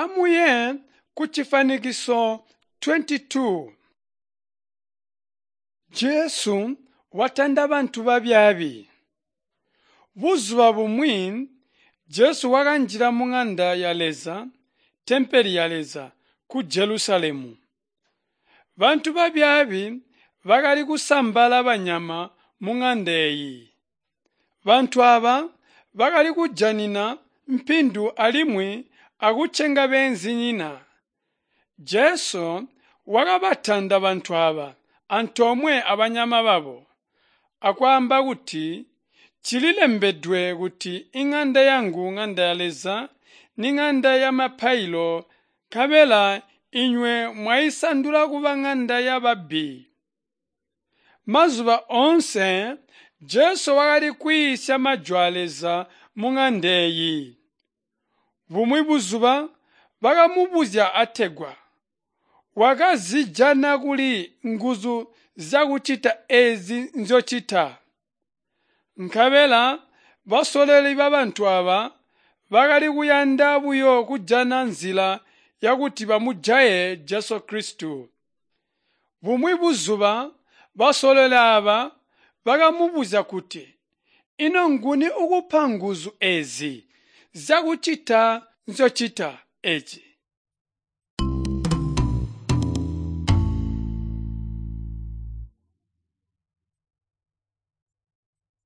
Amuye kucifwanikiso 22. Jesu watanda bantu babyaabi. Buzuba bumwi Jesu wakanjila muŋanda ya Leza, tempele ya Leza, ku Jelusalemu. Bantu babyaabi bakali kusambala banyama muŋanda eeyi. Bantu aaba bakali kujanina mpindu alimwi akucenga beenzinyina. Jesu wakabatanda bantu aaba antoomwe abanyama babo, akwaamba kuti, Cililembedwe kuti iŋanda yangu ŋanda ya Leza niŋanda yamapailo nkabela inywe mwaisandula kuba ŋanda yababbi. Mazuba oonse Jesu wakali kwiisya majwi aa Leza muŋanda eeyi. Bumwi buzuba bakamubuzya ategwa, Wakazijana kuli nguzu zyakucita eezi nzyocita? Nkabela basololi babantu aaba bakali kuyanda buyo kujana nzila yakuti bamujaye Jesu Kilisito. Bumwi buzuba basololi aaba bakamubuzya kuti, Ino nguni uukupa nguzu eezi zyakucita nzyocita eezi?